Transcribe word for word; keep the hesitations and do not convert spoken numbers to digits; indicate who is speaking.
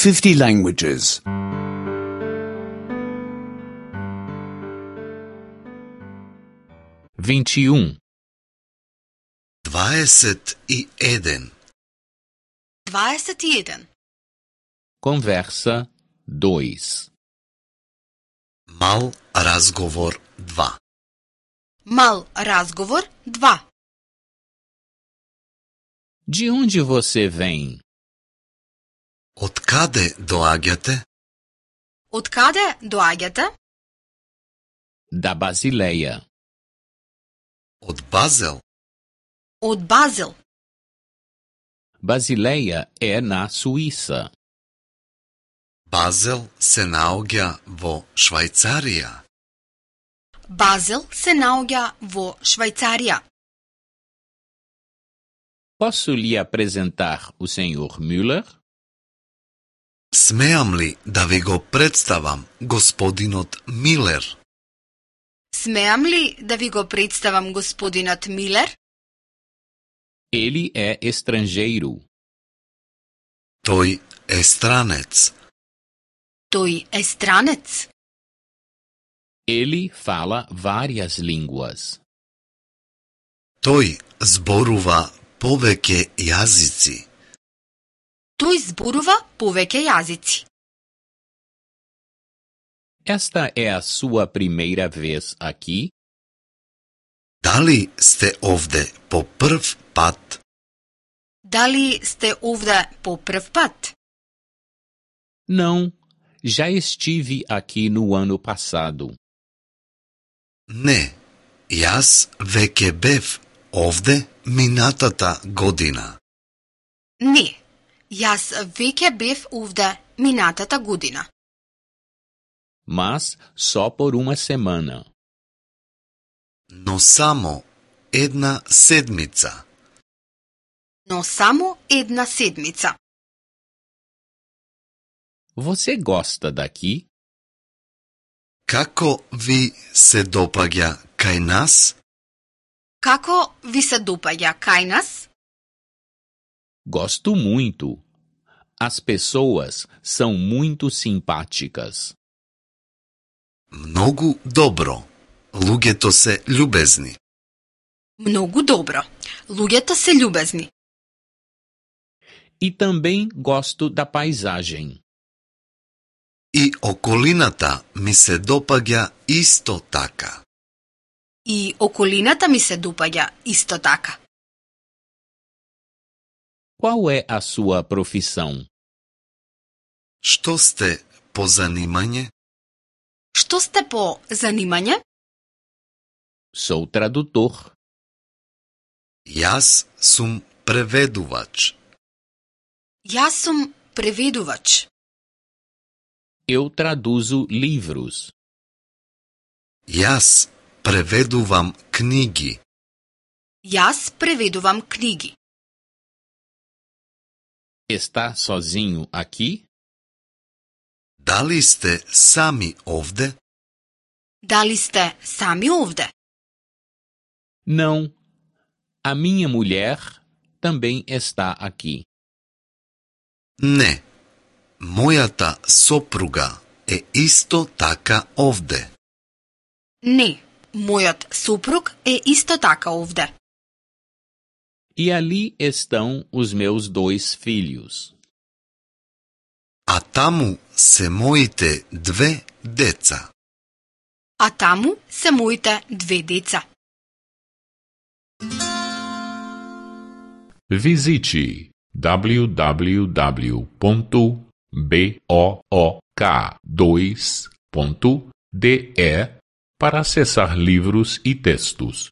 Speaker 1: fifty languages.
Speaker 2: vinte e um.
Speaker 3: дваесет и еден.
Speaker 4: дваесет и еден.
Speaker 2: Conversa dois.
Speaker 3: Мал разговор два.
Speaker 4: Мал разговор два.
Speaker 2: De onde você vem?
Speaker 3: Од каде доаѓате?
Speaker 4: Од каде доаѓате?
Speaker 2: Da Basileia.
Speaker 3: Од Базел.
Speaker 4: Од Базел.
Speaker 2: Basileia é na Suíça.
Speaker 3: Базел се наоѓа во Швајцарија.
Speaker 4: Базел се наоѓа во Швајцарија.
Speaker 2: Posso lhe apresentar o senhor Müller?
Speaker 3: Смеам ли да ви го представам господинот Милер?
Speaker 4: Смеам ли да ви го представам господинот Милер?
Speaker 2: Ele é estrangeiro.
Speaker 3: Тој е странец.
Speaker 4: Тој е странец.
Speaker 2: Ele fala várias línguas.
Speaker 3: Тој зборува повеќе јазици.
Speaker 4: Тој зборува повеќе јазици.
Speaker 2: Esta é a sua primeira vez aqui?
Speaker 3: Дали сте овде по прв пат?
Speaker 4: Дали сте овде по прв пат?
Speaker 2: Não, já estive aqui no ano passado.
Speaker 3: Не, јас веќе бев овде минатата година.
Speaker 4: Не, јас веќе бев овде минатата година.
Speaker 2: Mas só por uma semana.
Speaker 3: Но само една седмица.
Speaker 4: Но само една седмица.
Speaker 2: Você gosta daqui?
Speaker 3: Како ви се допаѓа кај нас?
Speaker 4: Како ви се допаѓа кај нас?
Speaker 2: Gosto muito. As pessoas são muito simpáticas.
Speaker 3: Многу добро. Луѓето се љубезни.
Speaker 4: Многу добро. Луѓето се љубезни.
Speaker 2: E também gosto da paisagem.
Speaker 3: И околината ми се допаѓа исто така.
Speaker 4: И околината ми се допаѓа исто така.
Speaker 2: Qual é a sua profissão?
Speaker 3: Што сте по занимање?
Speaker 4: Што сте по занимање?
Speaker 2: Sou tradutor.
Speaker 3: Јас сум преведувач.
Speaker 4: Јас сум преведувач.
Speaker 2: Eu traduzo livros.
Speaker 3: Јас преведувам книги.
Speaker 4: Јас преведувам книги.
Speaker 2: Está sozinho aqui?
Speaker 3: Дали сте сами овде?
Speaker 4: Дали сте сами овде?
Speaker 2: Não. A minha mulher também está aqui.
Speaker 3: Не. Мојата сопруга е исто така овде.
Speaker 4: Не. Мојот сопруг е исто така овде.
Speaker 2: E ali estão os meus dois filhos.
Speaker 3: А таму се моите две деца.
Speaker 4: А таму се моите две деца.
Speaker 5: Visite w w w ponto book dois ponto d e para acessar livros e textos.